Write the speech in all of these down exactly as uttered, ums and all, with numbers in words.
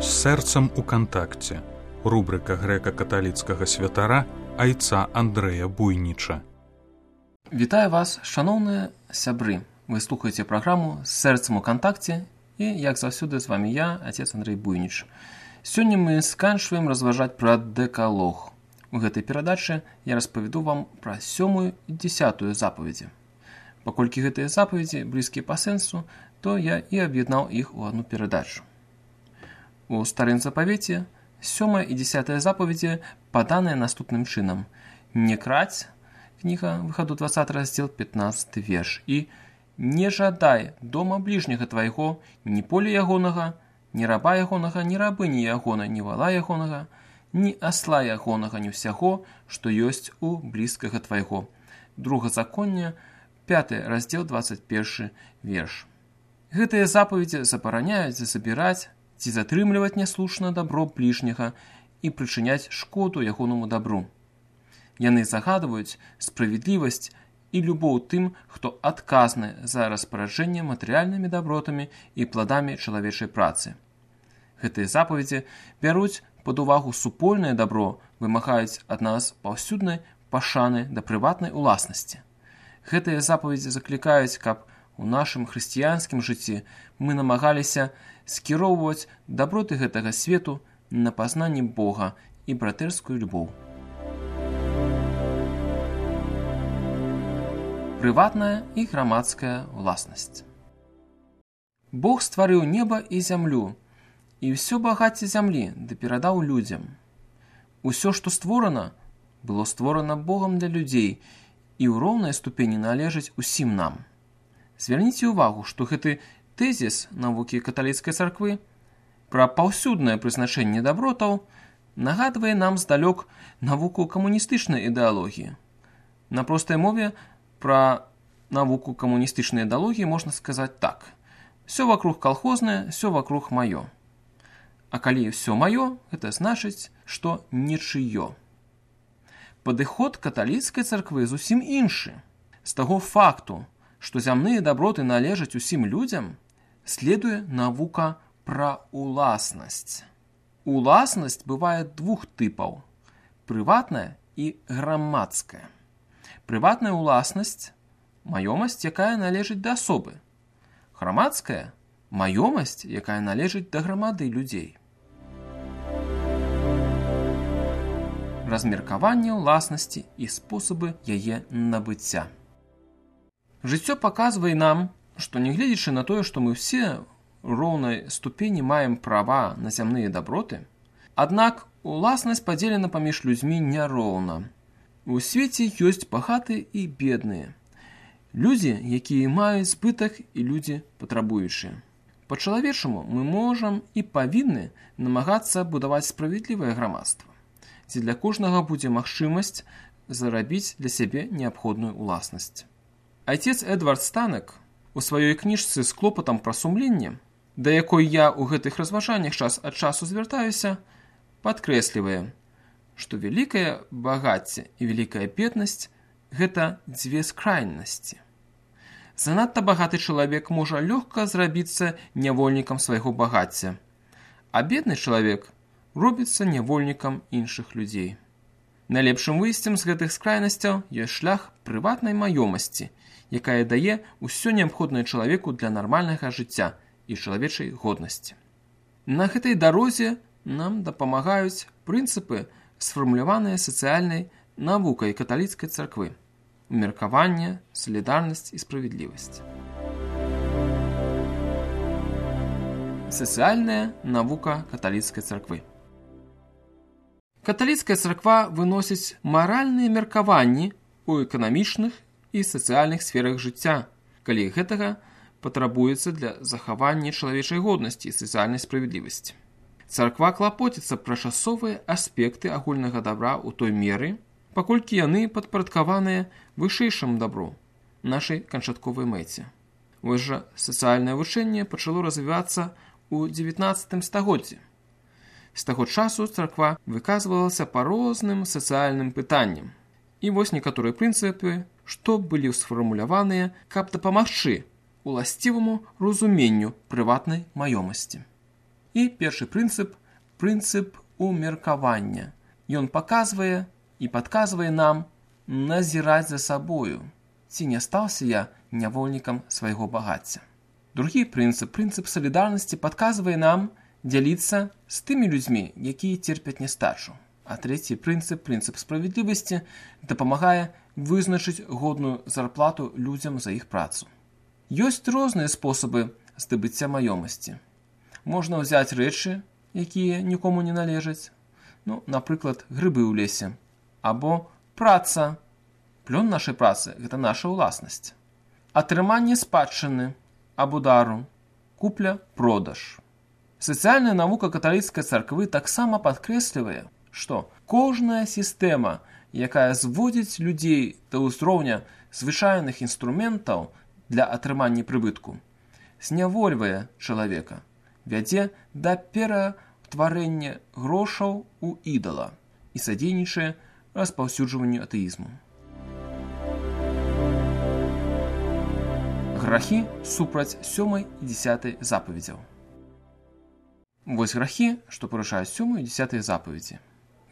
З сэрцам у кантакце. Рубрика грэка-каталіцкага святара айца Андрэя Буйніча. Вітаю вас, шаноўныя сябры. Вы слухаеце праграму «З сэрцам у кантакце» і, як заўсёды, з вами я, отец Андрэй Буйніч. Сёння мы сканчваем разважаць пра дэкалог. У гэтай перадачы я распавяду вам пра сёмую і дзесятую запаведзі. Паколькі гэтыя запаведзі блізкія па сэнсу, то я і аб'яднаў іх у адну перадачу. У старым запавеце сёмая і дзесятая запаведзі паданыя наступным чынам. «Не краць» кніга выхаду двадцаты раздзел пятнаццаты верш і «Не жадай дома бліжняга твайго, ні поля ягонага, ні раба ягонага, ні рабыні ягона, ні вала ягонага, ні асла ягонага, ні ўсяго, што ёсць у блізкага твайго». Другазаконне, пяты раздзел двадцать першы верш. Гэтыя запаведзі забараняюць забіраць ці затрымліваць няслушна дабро бліжняга і прычыняць шкоду ягонаму дабру. Яны загадваюць справядлівасць і любоў тым, хто адказны за распараджэнне матэрыяльнымі дабротамі і пладамі чалавечай працы. Гэтыя запаведзі бяруць пад увагу супольнае дабро, вымагаюць ад нас паўсюднай пашаны да прыватнай уласнасці. Гэтыя запаведзі заклікаюць, каб у нашым хрысціянскім жыцці мы намагаліся скіроўваць даброты гэтага свету на пазнанне Бога і братэрскую любоў. Прыватная і грамадская уласнасць. Бог стварыў неба і зямлю, і ўсё багацце зямлі ды перадаў людзям. Усё, што створана, было створана Богам для людзей і ў роўнай ступені належыць усім нам. Звярніце ўвагу, што гэты тэзіс навукі каталіцкай царквы пра паўсюднае прызначэнне дабротаў нагадвае нам здалёк навуку камуністычнай ідэалогіі. На простай мове пра навуку камуністычнай ідэалогіі можна сказаць так. Всё вакруг калхознае, всё вакруг маё. А калі ўсё маё, гэта значыць, што нічыё. Падыход каталіцкай царквы зусім іншы. З таго факту, што зямныя даброты належаць усім людзям, следуе навука пра уласнасць. Уласнасць бывае двух тыпаў – прыватная і грамадская. Прыватная уласнасць – маёмасць, якая належыць да асобы. Грамадская – маёмасць, якая належыць да грамады людзей. Размеркаванне ўласнасці і спосабы яе набыцця. Жыццё паказвае нам, што нягледзячы на тое, што мы ўсе ў роўнай ступені маем права на зямныя даброты, аднак уласнасць падзелена паміж людзьмі няроўна. У свеце ёсць багатыя і бедныя. Людзі, якія маюць збытак, і людзі патрабуючыя. Па-чалавечаму мы можам і павінны намагацца будаваць справядлівае грамадства, дзе для кожнага будзе магчымасць зарабіць для сябе неабходную уласнасць. Айцец Эдвард Станек у сваёй кніжцы з клопатам пра сумленне, да якой я ў гэтых разважаннях час ад часу звяртаюся, падкрэслівае, што вялікае багацце і вялікая беднасць – гэта дзве скрайнасці. Занадта багаты чалавек можа лёгка зрабіцца нявольнікам свайго багацця, а бедны чалавек робіцца нявольнікам іншых людзей. Найлепшым выйсцем з гэтых скрайнасцяў ёсць шлях прыватнай маёмасці, якая дае ўсё неабходнае чалавеку для нармальнага жыцця і чалавечай годнасці. На гэтай дарозе нам дапамагаюць прынцыпы, сфармуляваныя сацыяльнай навукай каталіцкай царквы – умеркаванне, салідарнасць і справядлівасць. Сацыяльная навука каталіцкай царквы. Каталіцкая царква выносіць маральныя меркаванні ў эканамічных і сацыяльных сферах жыцця, калі гэтага патрабуецца для захавання чалавечай годнасці і сацыяльнай справядлівасці. Царква клапоціцца пра часовыя аспекты агульнага дабра ў той меры, паколькі яны падпарадкаваныя вышэйшаму дабру, нашай канчатковай мэце. Вось жа сацыяльнае вучэнне пачало развівацца ў дзевятнаццатым стагоддзі. З таго часу царква выказвалася па розным сацыяльным пытанням. І вось некаторыя прынцыпы, што былі сфармуляваныя, каб дапамагчы уласціваму разуменню прыватнай маёмасці. І першы прынцып – прынцып умеркавання. Ён паказвае і падказвае нам назіраць за сабою, ці не стаўся я нявольнікам свайго багацця. Другі прынцып, прынцып салідарнасці, падказвае нам дзяліцца з тымі людзьмі, якія церпяць нястачу. А трэці прынцып, прынцып справядлівасці, дапамагае вызначыць годную зарплату людзям за іх працу. Ёсць розныя спосабы здабыцця маёмасці. Можна ўзяць рэчы, якія нікому не належаць, ну, напрыклад, грыбы ў лесе, або праца. Плён нашай працы – гэта наша ўласнасць. Атрыманне спадчыны або дару, купля-продаж. Сацыяльная навука каталіцкай царквы таксама падкрэслівае, што кожная сістэма, якая зводзіць людзей да ўзроўня звычайных інструментаў для атрымання прыбытку, знявольвае чалавека, вядзе да ператварэння грошаў у ідала і садзейнічае распаўсюджванню атэізму. Грахі супраць сёмай і дзесятай запаведзяў. Вось грахі, што парушаюць сёмую і дзесятую запаведзі.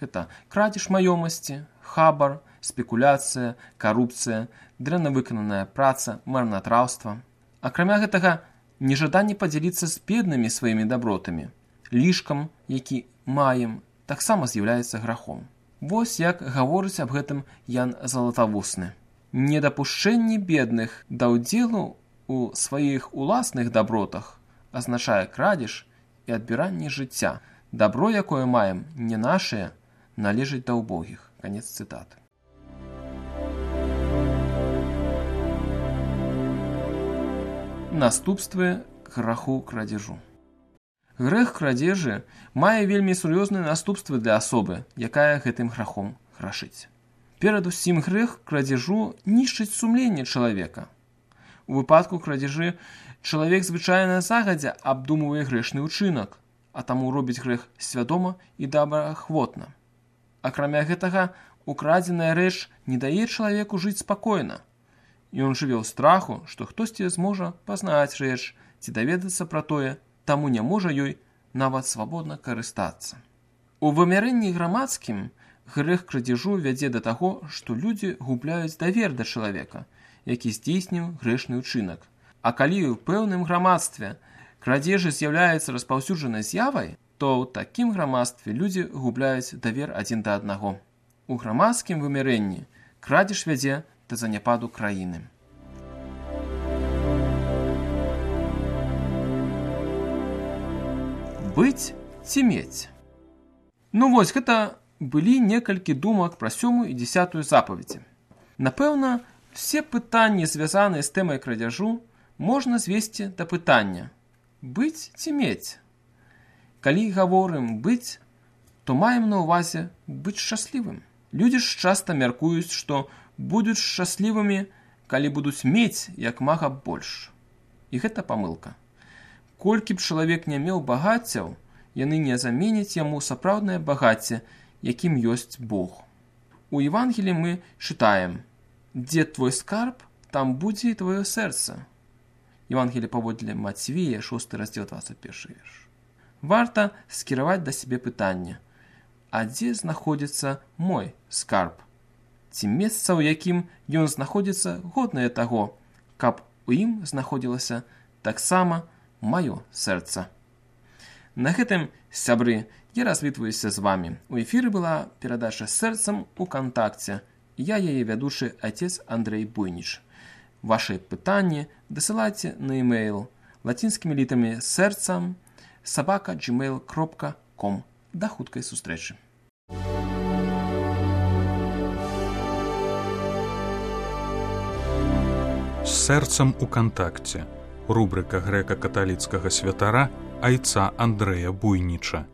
Гэта крадзеж маёмасці, хабар, спекуляцыя, карупцыя, дрэнна выкананая праца, марнатраўства. Акрамя гэтага, нежаданне падзяліцца з беднымі сваімі дабротамі, лішкам, які маем, таксама з'яўляецца грахом. Вось як гаворыць аб гэтым Ян Залатавусны. Недапушчэнне бедных да ўдзелу у сваіх уласных дабротах азначае крадзеж і адбіранне жыцця. Дабро, якое маем, не нашае, належыць да ўбогіх. Канец цытаты. Наступствы граху крадзежу. Грэх крадзежы мае вельмі сур'ёзныя наступствы для асобы, якая гэтым грахом грашыць. Перадусім грэх крадзежу нішчыць сумленне чалавека. У выпадку крадзежы чалавек звычайна загадзя абдумвае грэшны ўчынак, а таму робіць грэх свядома і добраахвотна. Акрамя гэтага, украдзеная рэч не дае чалавеку жыць спакойна. Ён жыве ў страху, што хтосьці зможа пазнаць рэч ці даведацца пра тое, таму не можа ёй нават свабодна карыстацца. У вымярэнні грамадскім грэх крадзежу вядзе да таго, што людзі губляюць давер да чалавека, які здзейсніў грэшны ўчынак. А калі ў пэўным грамадстве крадзежы з'яўляецца распаўсюджанай з'явай, то ў такім грамадстве людзі губляюць давер адзін да аднаго. У грамадскім вымярэнні крадзеж вядзе да заняпаду краіны. Быць ці мець? Ну вось, гэта былі некалькі думак пра сёмую і дзесятую запаведзі. Напэўна, все пытанні, звязаныя з тэмай крадзяжу, можна звесці да пытання: быць ці мець? Калі гаворым быць, то маем на ўвазе быць шчаслівым. Людзі ж часта мяркуюць, што будуць шчаслівымі, калі будуць мець як мага больш. І гэта памылка. Колькі б чалавек не меў багаццяў, яны не заменяць яму сапраўднае багацце, якім ёсць Бог. У Евангеліі мы чытаем: «Дзе твой скарб, там будзе і твоё сэрца». Евангелие паводле Мацвея, шосты раздзел, двадцать першы верш. Варта скіраваць да сябе пытанне: а дзе знаходзіцца мой скарб? Ці месца, у якім ён знаходзіцца, годнае таго, каб у ім знаходзілася таксама маё сэрца. На гэтым, сябры, я развітваюся з вамі. У эфіры была перадача «Сэрцам у кантакце». Я яе вядучы отец Андрей Буйніч. Ваши пытанні дасылайце на e-mail лацінскімі літамі сэрцам сабака джимейл кропка ком. Да хуткай сустрэчы. З сэрцам у кантакце. Рубрика грэка-каталіцкага святара айца Андрэя Буйніча.